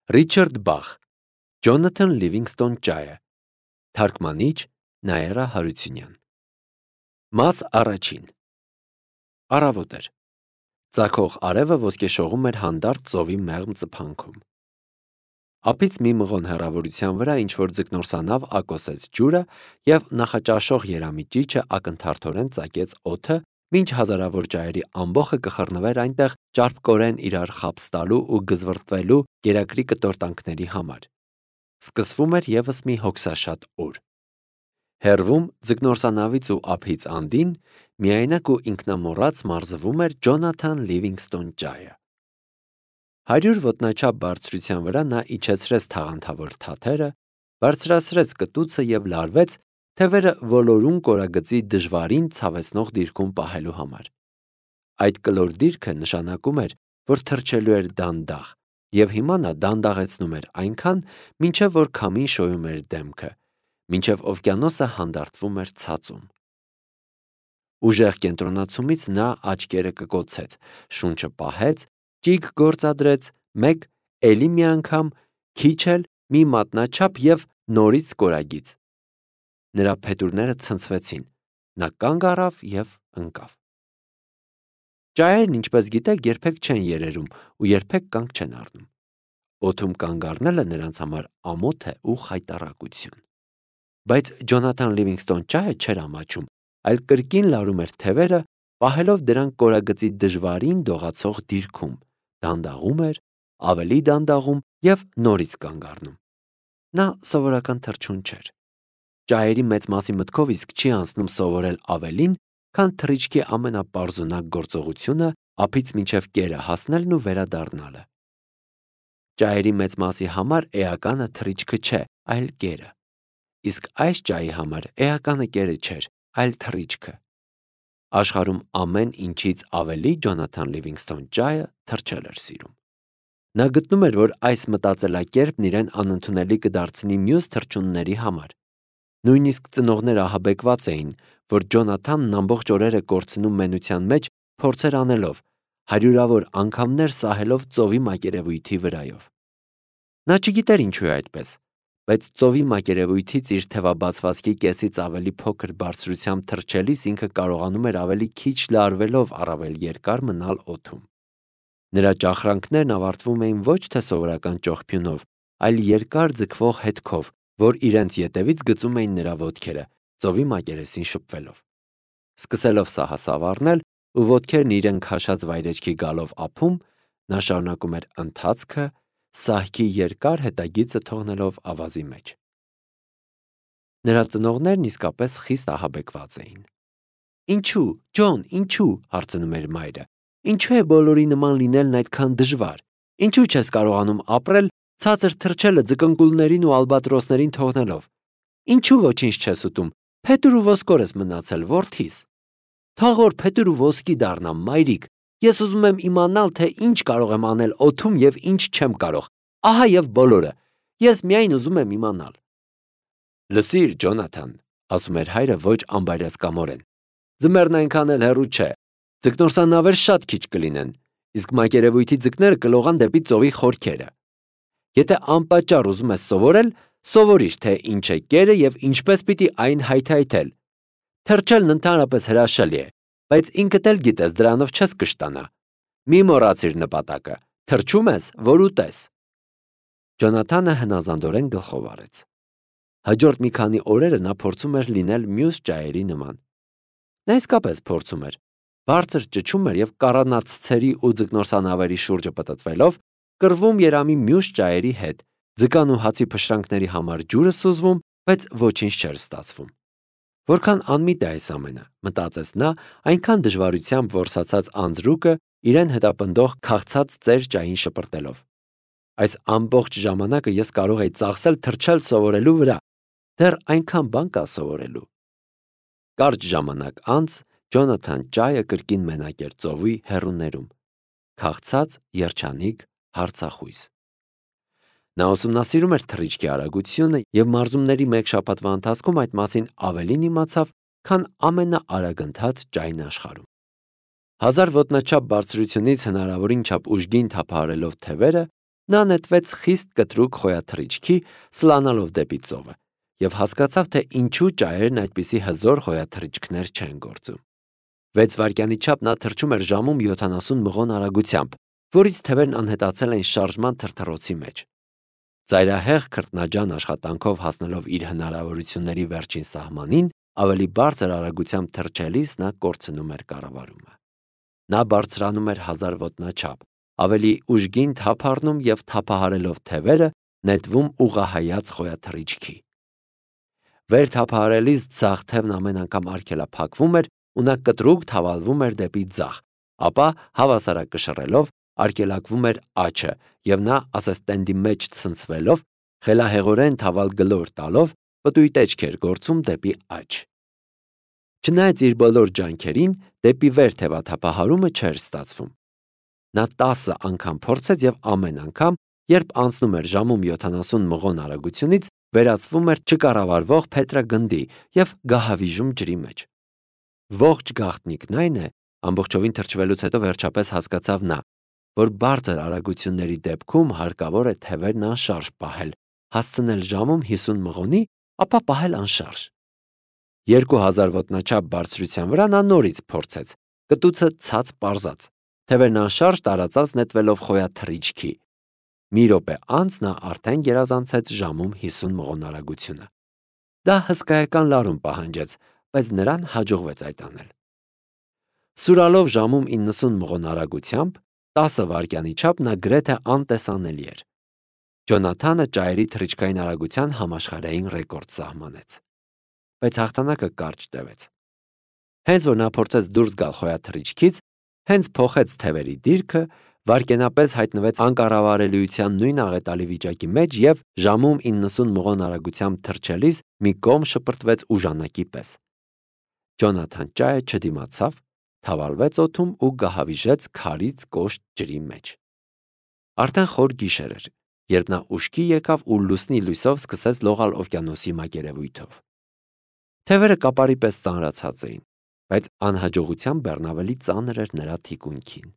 Ռիչարդ Բախ, Ջոնաթան Լիվինգստոն ճայը, թարգմանիչ Նաիրա Հարությունյան։ Մաս առաջին։ Առավոտ էր։ Ծագող արևը ոսկեշողում էր հանդարտ ծովի մեղմ ծփանքում։ Ափից մի մղոն հեռավորության վրա ինչ-որ ձկնորսանավ ակոսեց ջուրը և նախաճաշող երամիջիչը ակնթարթորեն ծակեց օդը, մինչ հազարավոր ճայերի ամբոխը կխռնվեր այնտեղ ճարպկորեն իրար խաբս տալու ու գզվռտվելու կերակրի կտորտանքների համար։ Սկսվում էր ևս մի հոգսաշատ օր։ Հեռվում ձկնորսանավից ու ափից անդին միայնակ ու ինքնամոռաց մարզվում էր Ջոնաթան Լիվինգստոն ճայը։ 100 ոտնաչափ բարձրության վրա նա իջեցրեց թաղանթավոր թաթերը, բարձրացրեց կտուցը և լարվեց թևերը ոլորուն կորագծի դժվարին ցավեցնող դիրքում պահելու համար։ Այդ կլոր դիրքը նշանակում էր, որ թռչելու էր դանդաղ, և հիմա նա դանդաղեցնում էր այնքան, մինչև որ քամին շոյում էր դեմքը, մինչև օվկիանոսը հանդարտվում էր ցածում։ Ուժեղ կենտրոնացումից նա աչքերը կկոցեց, շունչը պահեց, ճիգ գործադրեց, մեկ, էլի մի անգամ, քիչ էլ, մի մատնաչափ և նորից կորագիծ։ Նրա փետուրները ցնցվեցին, նա կանգ առավ և ընկավ։ Ճայերն, ինչպես գիտեք, երբեք չեն երերում ու երբեք կանգ չեն առնում։ Օդում կանգ առնելը նրանց համար ամոթ է ու խայտառակություն։ Բայց Ջոնաթան Լիվինգստոն ճայը չէր ամաչում, այլ կրկին լարում էր թևերը, պահելով դրանք կորագծի դժվարին դողացող դիրքում, դանդաղում էր, ավելի դանդաղում և նորից կանգ առնում։ Նա սովորական թռչուն չէր։ Ճայերի մեծ մասի մտքով իսկ չի անցնում սովորել ավելին, քան թռիչքի ամենապարզունակ գործողությունը ափից մինչև կերը հասնելն ու վերադառնալը։ Ճայերի մեծ մասի համար էականը թռիչքը չէ, այլ կերը։ Իսկ այս ճայի համար էականը կերը չէր, այլ թռիչքը։ Աշխարհում ամեն ինչից ավելի Ջոնաթան Լիվինգստոն ճայը թռչել էր սիրում։ Նա գտնում էր, որ այս մտածելակերպն իրեն անընդունելի կդարձնի մյուս թռչունների համար։ Նույնիսկ ծնողները ահաբեկված էին, որ Ջոնաթանն ամբողջ օրերը կորցնում մենության մեջ փորձեր անելով, հարյուրավոր անգամներ սահելով ծովի մակերևույթի վրայով։ Նա չգիտեր ինչու է այդպես, բայց ծովի մակերևույթից իր թևաբացվածքի կեսից ավելի փոքր բարձրությամբ թռչելիս ինքը կարողանում էր ավելի քիչ լարվելով առավել երկար մնալ օդում։ Նրա ճախրանքներն ավարտվում էին ոչ թե սովորական ճողփյունով, այլ երկար ձգվող հետքով, որ իրենց ետևից գծում էին նրա ոտքերը, ծովի մակերեսին շփվելով։ Սկսելով սահասավ առնել ու ոտքերն իրեն քաշած վայրեջքի գալով ափում, նա շարունակում էր ընթացքը, սահքի երկար հետագիծը թողնելով ավազի մեջ։ Նրա ծնողներն իսկապես խիստ ահաբեկված էին։ «Ինչու, Ջոն, ինչու» հարցնում էր մայրը։ «Ինչու է բոլորի նման լինելն այդքան դժվար։ Ինչու չես կարողանում ապրել ցածր թռչելը ձկնկուլներին ու ալբատրոսներին թողնելով։ Ինչու ոչինչ չես ուտում, փետուր ու ոսկոր ես մնացել, որդիս։ Թող որ փետուր ու ոսկի դառնամ, մայրիկ, ես ուզում եմ իմանալ, թե ինչ կարող եմ անել օդում և ինչ չեմ կարող։ Ահա և բոլորը։ Ես միայն ուզում եմ իմանալ»։ «Լսիր, Ջոնաթան», ասում էր հայրը ոչ անբարյացկամորեն, «ձմեռն այնքան էլ հեռու չէ։ Ձկնորսանավեր շատ քիչ կլինեն, իսկ մակերևույթի ձկները կլողան դեպի ծովի խորքերը։ Եթե անպատճառ ուզում ես սովորել, սովորիր, թե ինչ է կերը և ինչպես պիտի այն հայթայթել։ Թռչելն ընդհանրապես հրաշալի է, բայց ինքդ էլ գիտես, դրանով չես կշտանա։ Մի մոռացիր նպատակը, թռչում ես, որ ուտես»։ Ջոնաթանը հնազանդորեն գլխով արեց։ Հաջորդ մի քանի օրերը նա փորձում էր լինել մյուս ճայերի նման։ Նա իսկապես փորձում էր։ Բարձր ճչում էր և կառանացցերի ու ձկնորսանավերի շուրջը պտտվելով, կռվում երամի մյուս ճայերի հետ, ձկան ու հացի փշրանքների համար ջուրը սուզվում, բայց ոչինչ չէր ստացվում։ Որքան անմիտ է այս ամենը, մտածեց նա, այնքան դժվարությամբ որսացած անձրուկը իրեն հետապնդող քաղցած ծեր ճային շպրտելով։ Այս ամբողջ ժամանակը ես կարող էի ծախսել թռչել սովորելու վրա, դեռ այնքան բան կա սովորելու։ Կարճ ժամանակ անց Ջոնաթան ճայը կրկին մենակ էր ծովի հեռուներում, քաղցած, երջանիկ, հարցախույս։ Նա ուսումնասիրում էր թռիչքի արագությունը և մարզումների մեկ շաբաթվա ընթացքում այդ մասին ավելին իմացավ, քան ամենաարագընթաց ճայն աշխարհում։ 1000 ոտնաչափ բարձրությունից հնարավորին չափ ուժգին թափահարելով թևերը, Նա նետվեց խիստ կտրուկ խոյաթռիչքի, սլանալով դեպի ծովը, եւ հասկացավ, թե ինչու ճայերն այդպիսի հզոր խոյաթռիչքներ չեն գործում։ 6 վայրկյանի չափ նա թռչում էր ժամում 70 մղոն արագությամբ, որից թևերն անհետացել էին շարժման թրթռոցի մեջ։ Ծայրահեղ քրտնաջան աշխատանքով հասնելով իր հնարավորությունների վերջին սահմանին, ավելի բարձր արագությամբ թռչելիս նա կորցնում էր կառավարումը։ Նա բարձրանում էր 1000 ոտնաչափ, ավելի ուժգին թափ առնում եւ թափահարելով թևերը նետվում ուղղահայաց խոյաթռիչքի։ Վեր թափահարելիս ձախ թևն ամեն անգամ արգելափակվում էր ու նա կտրուկ թավալվում էր դեպի ձախ, ապա հավասարակշռելով արգելակվում էր աչը եւ նա ասեստենդի մեջ ցնցվելով խելահեղորեն թավալ գլոր տալով պտույտ էջք էր գործում դեպի աջ։ Չնայած իր բոլոր ջանքերին դեպի վեր թևաթափահարումը չէր ստացվում։ Նա 10 անգամ փորձեց եւ ամեն անգամ, երբ անցնում էր ժամում 70 մղոն արագությունից, վերածվում էր չկառավարվող փետրագնդի եւ գահավիժում ջրի մեջ։ Ողջ գաղտնիքն այն է, ամբողջովին թրջվելուց հետո վերջապես հասկացավ նա, որ բարձր արագությունների դեպքում հարկավոր է թևերն անշարժ պահել, հասցնել ժամում 50 մղոնի, ապա պահել անշարժ։ 2000 ոտնաչափ բարձրության վրա նա նորից փորձեց, կտուցը ցած պարզած, թևերն անշարժ տարածած նետվելով խոյաթռիչքի։ Մի րոպե անց նա արդեն գերազանցեց ժամում 50 մղոն արագությունը։ Դա հսկայական լարում պահանջեց, բայց նրան հաջողվեց այդ անել։ Սուրալով ժամում 90 մղոն արագությամբ 10 վայրկյանի չափ նա գրեթե անտեսանելի էր։ Ջոնաթանը ճայերի թռիչքային արագության համաշխարհային ռեկորդ սահմանեց։ Բայց հաղթանակը կարճ տևեց։ Հենց որ նա փորձեց դուրս գալ խոյաթռիչքից, հենց փոխեց թևերի դիրքը, վայրկենապես հայտնվեց անկառավարելիության նույն աղետալի վիճակի մեջ եւ ժամում 90 մղոն արագությամբ թռչելիս մի կողմ շպրտվեց ուժանակի պես։ Ջոնաթան ճայը չդիմացավ, թավալվեց օդում ու գահավիժեց քարից կոշտ ջրի մեջ։ Արդեն խոր գիշեր էր, երբ նա ուշքի եկավ ու լուսնի լույսով սկսեց լողալ օվկիանոսի մակերևույթով։ Թևերը կապարի պես ծանրացած էին, բայց անհաջողության բեռն ավելի ծանր էր նրա թիկունքին։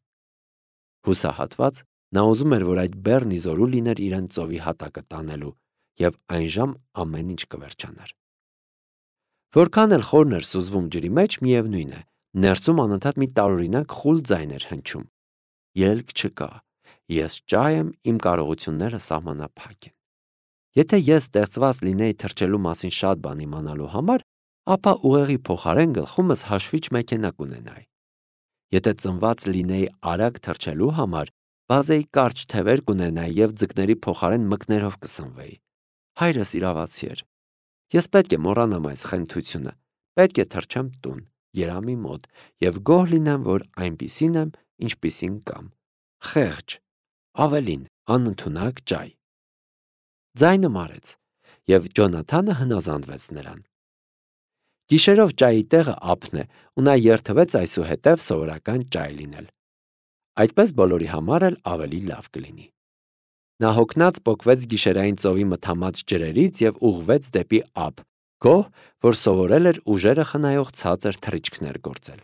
Հուսահատված նա ուզում էր, որ այդ բեռնի զորու լիներ իրեն ծովի հատակը տանելու, եւ այն ժամ ամեն ինչ կվերջանար։ Որքան էլ խորն էր սուզվում ջրի մեջ, միևնույն է, ներսում անընդհատ մի տարօրինակ խուլ ձայն էր հնչում։ Ելք չկա, ես ճայ եմ, իմ կարողությունները սահմանափակ են։ Եթե ես ստեղծված լինեի թռչելու մասին շատ բան իմանալու համար, ապա ուղեղի փոխարեն գլխումս հաշվիչ մեքենա կունենայի։ Եթե ծնված լինեի արագ թռչելու համար, բազեի կարճ թևեր կունենայի եւ ձկների փոխարեն մկներով կսնվեի։ Հայրս իրավացի էր։ Ես պետք է մոռանամ այս խենթությունը, պետք է թռչեմ տուն, երամի մոտ եւ գոհ լինեմ, որ այնպիսին եմ, ինչպիսին կամ։ Խեղճ, ավելին, անընդունակ ճայ։ Ձայնը մարեց, եւ Ջոնաթանը հնազանդվեց նրան։ Գիշերով ճայի տեղը ափն է, ու նա երթվեց այսուհետև սովորական ճայ լինել։ Այդպես բոլորի համար էլ ավելի լավ կլինի։ Նա հոգնած պոկվեց գիշերային ծովի մթամած ջրերից եւ ուղղվեց դեպի ափ, գոհ, որ սովորել էր ուժերը խնայող ցածր թռիչքներ գործել։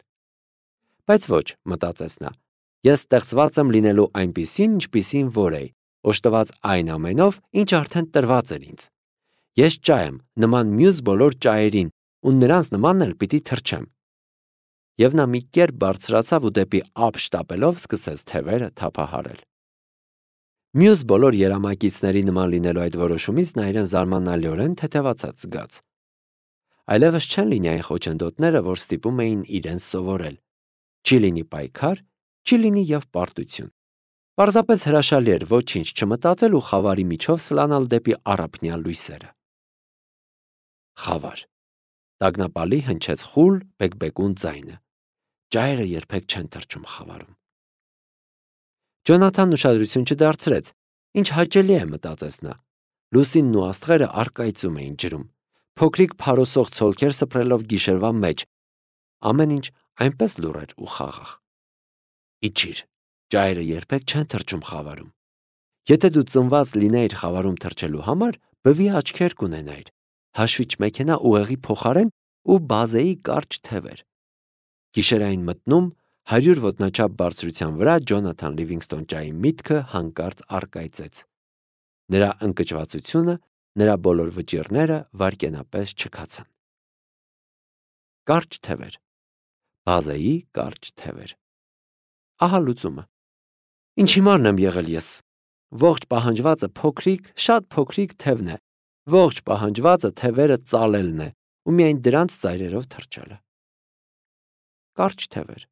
Բայց ոչ, մտածեց նա, ես ստեղծված եմ լինելու այնպիսին, ինչպիսին որ էի, օժտված այն ամենով, ինչ արդեն տրված էր ինձ։ Ես ճայ եմ, նման մյուս բոլոր ճայերին, ու նրանց նմանն էլ պիտի թռչեմ։ Եվ նա մի կերպ բարձրացավ ու դեպի ափ շտապելով սկսեց թևերը թափահարել։ Մյուս բոլոր երամակիցների նման լինելու այդ որոշումից նա իրեն զարմանալիորեն թեթևացած զգաց։ Այլևս չեն լինի այն խոչընդոտները, որ ստիպում էին իրեն սովորել։ Չի լինի պայքար, չի լինի եւ պարտություն։ Պարզապես հրաշալի էր ոչինչ չմտածել ու խավարի միջով սլանալ դեպի առափնյա լույսերը։ Խավար։ Տագնապալի հնչեց խուլ բեկբեկուն ձայնը։ Ճայերը երբեք չեն թռչում խավարում։ Ջոնաթանն ուշադրություն չդարձրեց։ Ինչ հաճելի է, մտածեց նա։ Լուսինն ու աստղերը առկայծում էին ջրում։ Փոքրիկ փարոսող ցոլքեր սփռելով գիշերվա մեջ։ Ամեն ինչ այնպես լուռ էր ու խաղաղ։ Իջիր, ճայերը երբեք չեն թռչում խավարում։ Եթե դու ծնված լինեիր խավարում թռչելու համար, բվի աչքեր կունենայիր, հաշվիչ մեքենա ուղեղի փոխարեն ու բազեի կարճ թևեր։ Գիշերային մտնում 100 ոտնաչափ բարձրության վրա Ջոնաթան Լիվինգստոն ջայի միտքը հանկարծ առկայծեց։ Նրա ընկճվածությունը, նրա բոլոր վճիռները վայրկենապես չքացան։ Կարճ թևեր։ Բազեի կարճ թևեր։ Ահա լուծումը։ Ինչ հիմարն եմ եղել ես։ Ողջ պահանջվածը փոքրիկ, շատ փոքրիկ թևն է։ Ողջ պահանջվածը թևերը ծալելն է ու միայն դրանց ծայրերով թռչելը։ Կարճ թևեր։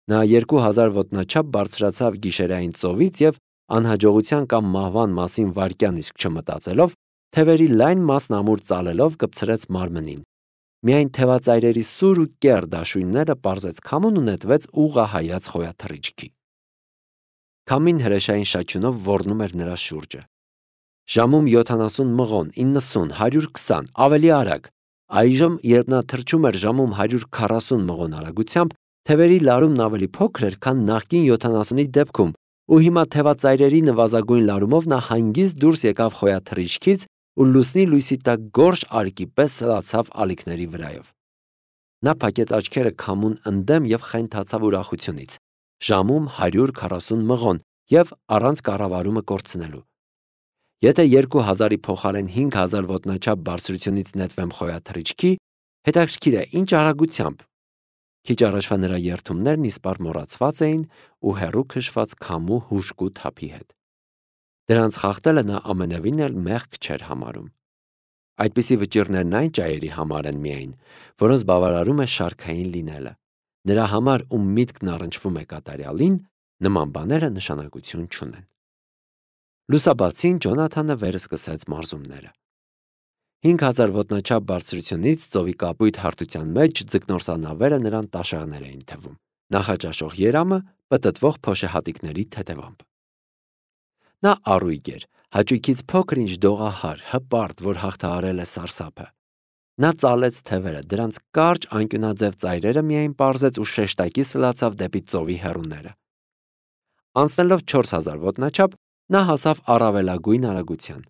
Նա 2000 ոտնաչափ բարձրացավ գիշերային ծովից և անհաջողության կամ մահվան մասին վայրկյան իսկ չմտածելով, թևերի լայն մասն ամուր ծալելով կպցրեց մարմնին։ Միայն թևածայրերի սուր ու կեռ դաշույնները պարզեց քամուն ու նետվեց ուղղահայաց խոյաթռիչքի։ Քամին հրեշային շաչյունով ոռնում էր նրա շուրջը։ Ժամում 70 մղոն, 90, 120, ավելի արագ։ Այժմ, երբ նա թռչում էր ժամում 140 մղոն արագությամբ, թևերի լարումն ավելի փոքր էր, քան նախկին 70-ի դեպքում, ու հիմա թևածայրերի նվազագույն լարումով նա հանգիստ դուրս եկավ խոյաթռիչքից ու լուսնի լույսի տակ գորշ ալիքի պես սլացավ ալիքների վրայով։ Նա փակեց աչքերը քամուն ընդդեմ և խենթացավ ուրախությունից։ Ժամում 140 մղոն և առանց կառավարումը կորցնելու։ Եթե 2000-ի փոխարեն 5000 ոտնաչափ բարձրությունից նետվեմ խոյաթռիչքի, հետաքրքիր է ինչ արագությամբ։ Քիչ առաջվա նրա երդումներն իսպառ մոռացված էին ու հեռու քշված քամու հուժկու թափի հետ։ Դրանց խախտելը նա ամենևին էլ մեղք չէր համարում։ Այդպիսի վճիռներն այն ճայերի համար են միայն, որոնց բավարարում է շարքային լինելը։ Նրա համար, ում միտքն առնչվում է կատարյալին, նման բաները նշանակություն չունեն։ Լուսաբացին Ջոնաթանը վերսկսեց մարզումները։ 5000 ոտնաչափ բարձրությունից ծովի կապույտ հարթության մեջ ձկնորսանավերը նրան տաշեղներ էին թվում, նախաճաշող երամը պտտվող փոշեհատիկների թեթևամբ։ Նա առույգ էր, հաճույքից փոքր ինչ դողահար, հպարտ, որ հաղթահարել է սարսափը։ Նա ծալեց թևերը, դրանց կարճ անկյունաձև ծայրերը միայն պարզեց ու շեշտակի սլացավ դեպի ծովի հեռուները։ Անցնելով 4000 ոտնաչափ, նա հասավ առավելագույն արագության։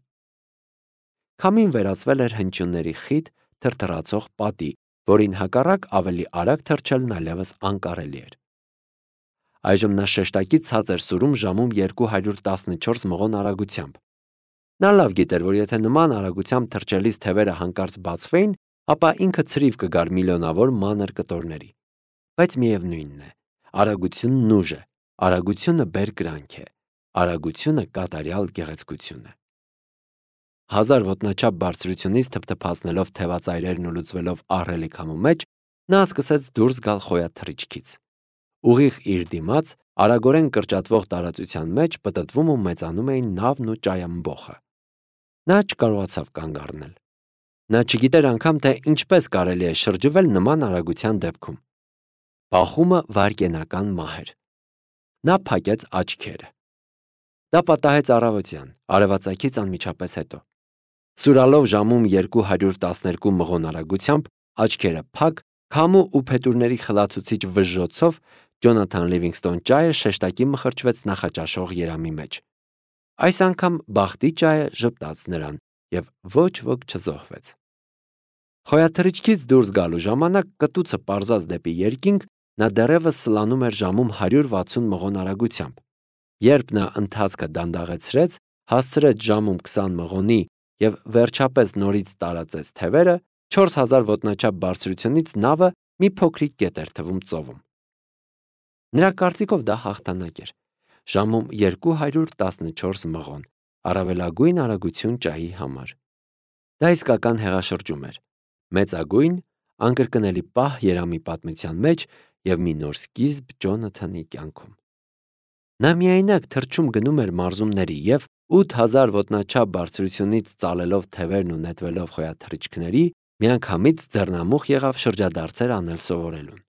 Քամին վերածվել էր հնչյունների խիտ, թրթռացող պատի, որին հակառակ ավելի արագ թռչելն այլևս անկարելի էր։ Այժմ նա շեշտակի ցած էր սուրում ժամում 214 մղոն արագությամբ։ Նա լավ գիտեր, որ եթե նման արագությամբ թռչելիս թևերը հանկարծ բացվեին, ապա ինքը ցրիվ կգար միլիոնավոր մանր կտորների։ Բայց միևնույնն է, արագությունն ուժ է, արագությունը բերկրանք է, արագությունը կատարյալ գեղեցկություն է։ 1000 ոտնաչափ բարձրությունից թփթփացնելով թևածայրերն ու լուծվելով ահռելի քամու մեջ, նա սկսեց դուրս գալ խոյաթռիչքից։ Ուղիղ իր դիմաց, արագորեն կրճատվող տարածության մեջ պտտվում ու մեծանում էին նավն ու ճայամբոխը։ Նա չկարողացավ կանգ առնել։ Նա չգիտեր անգամ, թե ինչպես կարելի է շրջվել նման արագության դեպքում։ Բախումը վայրկենական մահ էր։ Նա փակեց աչքերը։ Դա պատահեց առավոտյան, արևածագից անմիջապես հետո։ Սուրալով ժամում 212 մղոն արագությամբ, աչքերը փակ, քամու ու փետուրների խլացուցիչ վժժոցով Ջոնաթան Լիվինգստոն ջայը շեշտակի մխրճվեց նախաճաշող երամի մեջ։ Այս անգամ բախտի ջայը ժպտաց նրան, և ոչ ոք չզոհվեց։ Խոյաթռիչքից դուրս գալու ժամանակ կտուցը պարզած դեպի երկինք, նա դեռևս սլանում էր ժամում 160 մղոն արագությամբ։ Երբ նա ընթացքը դանդաղեցրեց, հասցրեց ժամում 20 մղոնի և վերջապես նորից տարածեց թևերը, 4000 ոտնաչափ բարձրությունից նավը մի փոքրիկ կետ էր թվում ծովում։ Նրա կարծիքով դա հաղթանակ էր։ Ժամում 214 մղոն, առավելագույն արագություն ջայի համար։ Դա իսկական հեղաշրջում էր։ Մեծագույն, անկրկնելի պահ երամի պատմության մեջ և մի նոր սկիզբ Ջոնաթանի կյանքում։ Նա միայնակ թռչում գնում էր մարզումների և 8000 ոտնաչափ բարձրությունից ծալելով թևերն ու նետվելով խոյաթռիչքների, միանգամից ձեռնամուխ եղավ շրջադարձեր անել սովորելուն։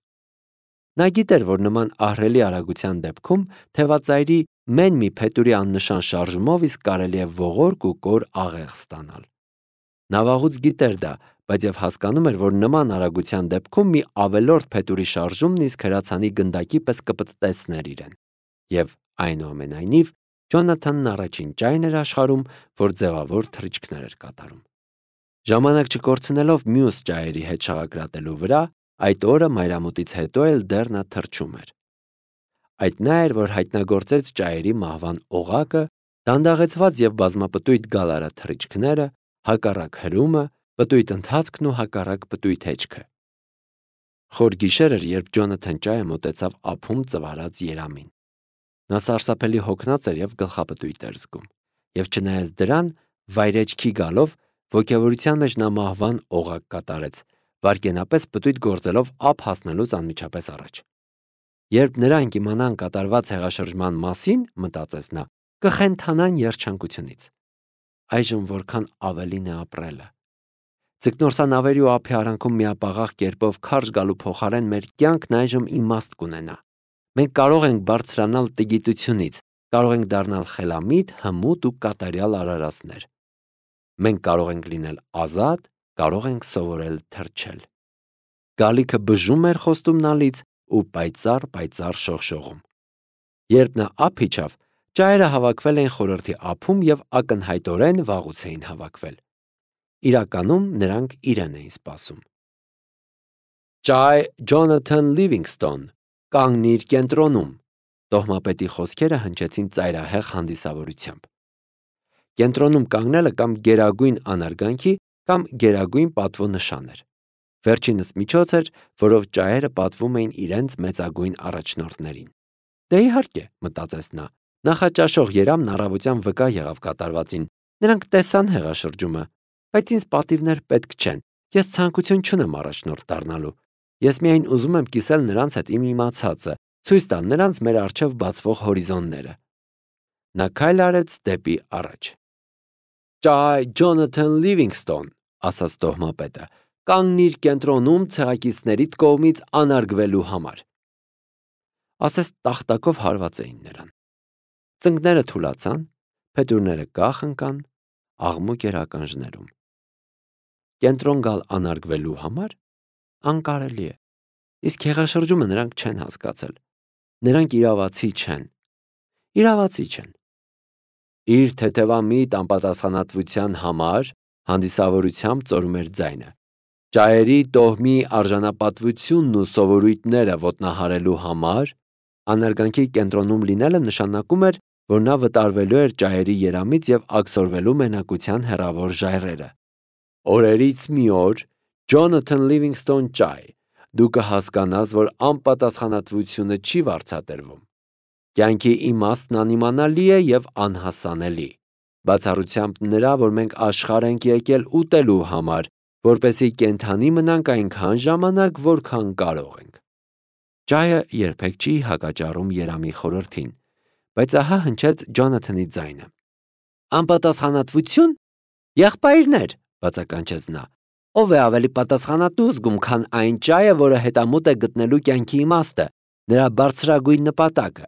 Նա գիտեր, որ նման ահռելի արագության դեպքում թևածայրի մեն մի փետուրի աննշան շարժումով իսկ կարելի է ողորկ ու կոր աղեղ ստանալ։ Նա վաղուց գիտեր դա, բայց և հասկանում էր, որ նման արագության դեպքում մի ավելորդ փետուրի շարժումն իսկ հրացանի գնդակի պես կպտտեցներ իրեն։ Եվ այնուամենայնիվ, Ջոնաթանն առաջին ճայն էր աշխարհում, որ ձևավոր թռիչքներ էր կատարում։ Ժամանակ չկորցնելով մյուս ճայերի հետ շաղակրատելու վրա, Այդ օրը մայրամուտից հետո էլ դեռ նա թռչում էր։ Այդ նա էր, որ հայտնագործեց ճայերի մահվան օղակը, դանդաղեցված և բազմապտույտ գալարաթռիչքները, հակառակ հրումը, պտույտ ընթացքն ու հակառակ պտույտ հեչքը։ Խոր գիշեր էր, երբ Ջոնաթան Ջայը մոտեցավ ափում ծվարած երամին։ Նա սարսափելի հոգնած էր և գլխապտույտ էր զգում, և չնայած դրան, վայրէջքի գալով, ոգևորության մեջ նա մահվան օղակ կատարեց, վայրկենապես պտույտ գործելով ափ հասնելուց անմիջապես առաջ։ Երբ նրանք իմանան կատարված հեղաշրջման մասին, մտածեց նա, կխենթանան երջանկությունից։ Այժմ որքան ավելին է ապրելը։ Ձկնորսանավերի ու ափի արանքում միապաղաղ կերպով քարշ գալու փոխարեն մեր կյանքն այժմ իմաստ կունենա։ Մենք կարող ենք բարձրանալ տգիտությունից, կարող ենք դառնալ խելամիտ, հմուտ ու կատարյալ արարածներ։ Մենք կարող ենք լինել ազատ, կարող ենք սովորել թռչել։ Գալիքը բժում էր խոստումնալից ու պայծառ շողշողում։ Երբ նա ափ իջավ, ճայերը հավաքվել էին խորհրդի ափում և ակնհայտորեն վաղուց էին հավաքվել։ Իրականում նրանք իրեն էին սպասում։ Ճայ Ջոնաթան Լիվինգստոն, կանգնիր կենտրոնում, տոհմապետի խոսքերը հնչեցին ծայրահեղ հանդիսավորությամբ։ Կենտրոնում կանգնելը կամ գերագույն անարգանքի, կամ գերագույն պատվո նշան էր։ Վերջինս միջոց էր, որով ճայերը պատվում էին իրենց մեծագույն առաջնորդներին։ Դե իհարկե, մտածեց նա, նախաճաշող երամն առավոտյան վկա եղավ կատարվածին, նրանք տեսան հեղաշրջումը, բայց ինձ պատիվներ պետք չեն, ես ցանկություն չունեմ առաջնորդ դառնալու, ես միայն ուզում եմ կիսել նրանց հետ իմ իմացածը, ցույց տալ նրանց մեր առջև բացվող հորիզոնները։ Նա քայլ արեց դեպի առաջ։ Ճայ Ջոնաթան Լիվինգստոն, ասաց տոհմապետը, կանգնիր կենտրոնում ցեղակիցներիդ կողմից անարգվելու համար։ Ասես տախտակով հարված էին նրան։ Ծնկները թուլացան, փետուրները կախ ընկան, աղմուկ էր ականջներում։ Կենտրոն գալ անարգվելու համար անկարելի է։ Իսկ հեղաշրջումը նրանք չեն հասկացել։ Նրանք իրավացի չեն։ Իրավացի չեն։ Իր թեթևամիտ անպատասխանատվության համար հանդիսավորությամբ ծորում էր ձայնը։ Ճայերի տոհմի արժանապատվությունն ու սովորույթները ոտնահարելու համար անարգանքի կենտրոնում լինելը նշանակում էր, որ նա վտարվելու էր ճայերի երամից և աքսորվելու մենակության հեռավոր ժայռերը։ Օրերից մի օր, Ջոնաթան Լիվինգստոն Ճայ, դու կհասկանաս, որ անպատասխանատվությունը չի վարձատրվում։ Կյանքի իմաստն անիմանալի է և անհասանելի, բացառությամբ նրա, որ մենք աշխարհ ենք եկել ուտելու համար, որպեսզի կենդանի մնանք այնքան ժամանակ, որքան կարող ենք։ Ճայը երբեք չի հակաճառում երամի խորհրդին, բայց ահա հնչեց Ջոնաթանի ձայնը։ Անպատասխանատվություն։ Եղբայրներ, բացականչեց նա։ Ով է ավելի պատասխանատու զգում, քան այն ճայը, որը հետամուտ է գտնելու կյանքի իմաստը, նրա բարձրագույն նպատակը։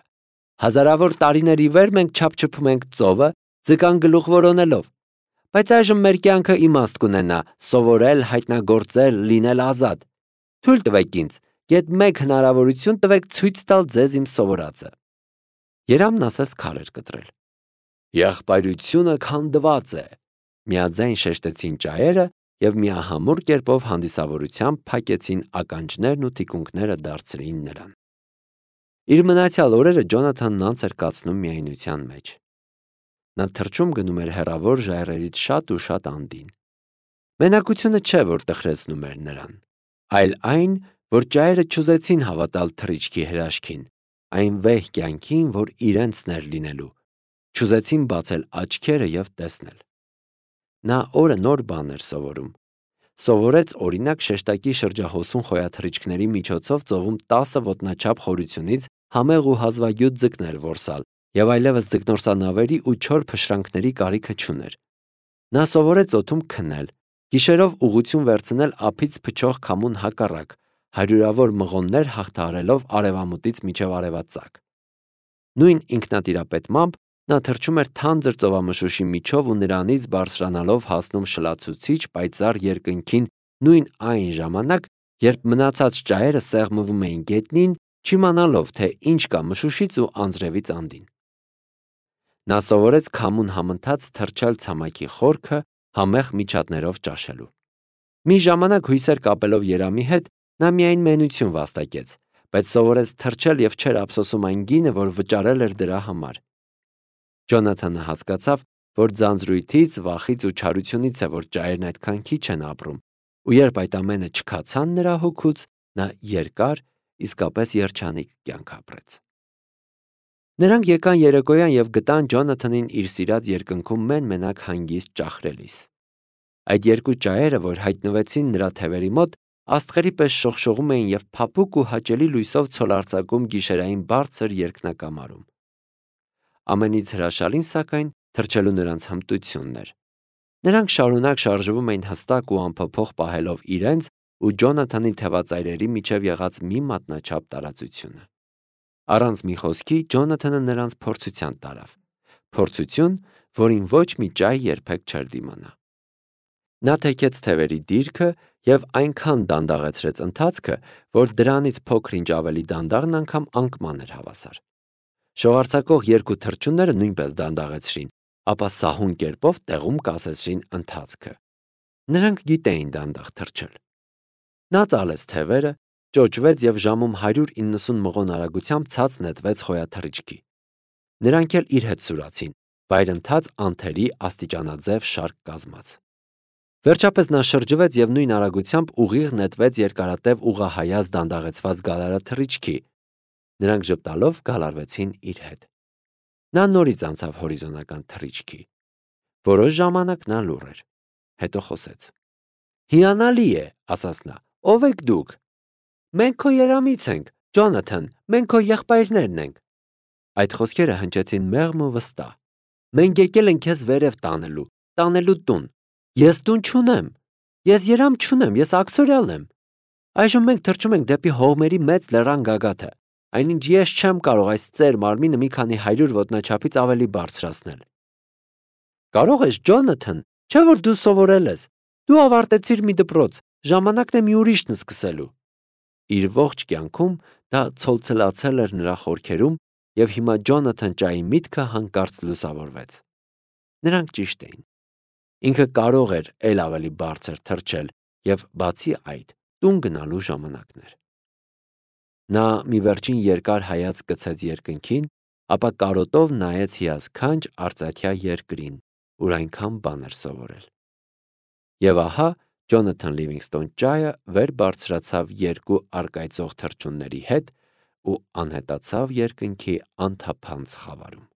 Հազարավոր տարիներ ի վեր մենք չափչփում ենք ծովը, ձկան գլուխ որոնելով։ Բայց այժմ մեր կյանքը իմաստ կունենա, սովորել, հայտնագործել, լինել ազատ։ Թույլ տվեք ինձ, գեթ մեկ հնարավորություն տվեք ցույց տալ ձեզ իմ սովորածը։ Երամն ասես քար էր կտրել։ Եղբայրությունը քանդված է, միաձայն շեշտեցին ճայերը և միահամուռ կերպով հանդիսավորությամբ փակեցին ականջներն ու թիկունքները դարձրին նրան։ Իր մնացյալ օրերը Ջոնաթանն անց էր կացնում միայնության մեջ։ Նա թռչում գնում էր հեռավոր ժայռերից շատ ու շատ անդին։ Մենակությունը չէ, որ տխրեցնում էր նրան, այլ այն, որ ճայերը չուզեցին հավատալ թռիչքի հրաշքին, այն վեհ կյանքին, որ իրենցն էր լինելու, չուզեցին բացել աչքերը և տեսնել։ Նա օրը նոր բան էր սովորում։ Սովորեց օրինակ շեշտակի շրջահոսուն խոյաթռիչքների միջոցով ծովում 10 ոտնաչափ խորությունից համեղ ու հազվագյուտ ձկներ որսալ և այլևս ձկնորսանավերի ու չոր փշրանքների կարիքը չուներ։ Նա սովորեց օդում քնել, գիշերով ուղղություն վերցնել ափից փչող քամուն հակառակ, հարյուրավոր մղոններ հաղթահարելով արևամուտից մինչև արևածագ։ Նույն ինքնատիրապետմամբ նա թռչում էր թանձր ծովամշուշի միջով ու նրանից բարձրանալով հասնում շլացուցիչ պայծառ երկնքին նույն այն ժամանակ, երբ մնացած ճայերը սեղմվում էին գետնին, չիմանալով, թե ինչ կա մշուշից ու անձրևից անդին։ Նա սովորեց քամուն համընթաց թռչել ցամաքի խորքը համեղ միջատներով ճաշելու։ Մի ժամանակ հույսեր կապելով երամի հետ, Նա միայն մենություն վաստակեց, բայց սովորեց թռչել և չէր ափսոսում այն գինը, որ վճարել էր դրա համար։ Ջոնաթանը հասկացավ, որ ձանձրույթից, վախից ու չարությունից է, որ ճայերն այդքան քիչ են ապրում, ու երբ այդ ամենը չքացան նրա հոգուց, նա երկար, իսկապես երջանիկ կյանք ապրեց։ Նրանք եկան երեկոյան և գտան Ջոնաթանին իր սիրած երկնքում մեն-մենակ հանգիստ ճախրելիս։ Այդ երկու ճայերը, որ հայտնվեցին նրա թևերի մոտ, աստղերի պես շողշողում էին և փափուկ ու հաճելի լույսով ցոլարձակում գիշերային բարձր երկնակամարում։ Ամենից հրաշալին, սակայն, թռչելու նրանց հմտությունն էր։ Նրանք շարունակ շարժվում էին հստակ ու անփոփոխ պահելով իրենց ու Ջոնաթանի թևածայրերի միջև եղած մի մատնաչափ տարածությունը։ Առանց մի խոսքի Ջոնաթանը նրանց փորձության տարավ։ Փորձություն, որին ոչ մի ճայ երբեք չէր դիմանա։ Նա թեքեց թևերի դիրքը և այնքան դանդաղեցրեց ընթացքը, որ դրանից փոքր-ինչ ավելի դանդաղն անգամ անկման էր հավասար։ Շողարձակող երկու թռչունները նույնպես դանդաղեցրին, ապա սահուն կերպով տեղում կասեցրին ընթացքը։ Նրանք գիտեին դանդաղ թռչել։ Նա ծալեց թևերը, ճոճվեց և ժամում 190 մղոն արագությամբ ցած նետվեց խոյաթռիչքի։ Նրանք էլ իր հետ սուրացին, վայրընթաց անթերի աստիճանաձև շարք կազմած։ Վերջապես նա շրջվեց և նույն արագությամբ ուղիղ նետվեց երկարատև ուղղահայաց դանդաղեցված գալարաթռիչքի։ Նրանք ժպտալով գալարվեցին իր հետ։ Նա նորից անցավ հորիզոնական թռիչքի։ Որոշ ժամանակ նա լուռ էր։ Հետո խոսեց. «Հիանալի է», ասաց նա, «ով եք դուք»։ «Մենք քո երամից ենք, Ջոնաթան, մենք քո եղբայրներն ենք»։ Այդ խոսքերը հնչեցին մեղմ ու վստահ։ «Մենք եկել ենք քեզ վերև տանելու տուն։ Ես տուն չունեմ։ Ես երամ չունեմ, ես աքսորյալ եմ։ Այժմ մենք թռչում ենք դեպի հողմերի մեծ լեռան գագաթը, այնինչ ես չեմ կարող այս ծեր մարմինը մի քանի 100 ոտնաչափից ավելի բարձրացնել»։ «Կարող ես, Ջոնաթան, չէ՞ որ դու սովորել ես։ Դու ավարտեցիր մի դպրոց, ժամանակն է մի ուրիշն սկսելու»։ Իր ողջ կյանքում դա ցոլցլացել էր նրա խորքերում, և հիմա Ջոնաթան ճայի միտքը հանկարծ լուսավորվեց։ Նրանք ճիշտ էին։ Ինքը կարող էր էլ ավելի բարձր թռչել, և բացի այդ, տուն գնալու ժամանակն էր։ Նա մի վերջին երկար հայացք գցեց երկնքին, ապա կարոտով նայեց հիասքանչ արծաթյա երկրին, ուր այնքան բան էր սովորել։ Եվ ահա Ջոնաթան Լիվինգստոն ճայը վեր բարձրացավ երկու առկայծող թռչունների հետ ու անհետացավ երկնքի անթափանց խավարում։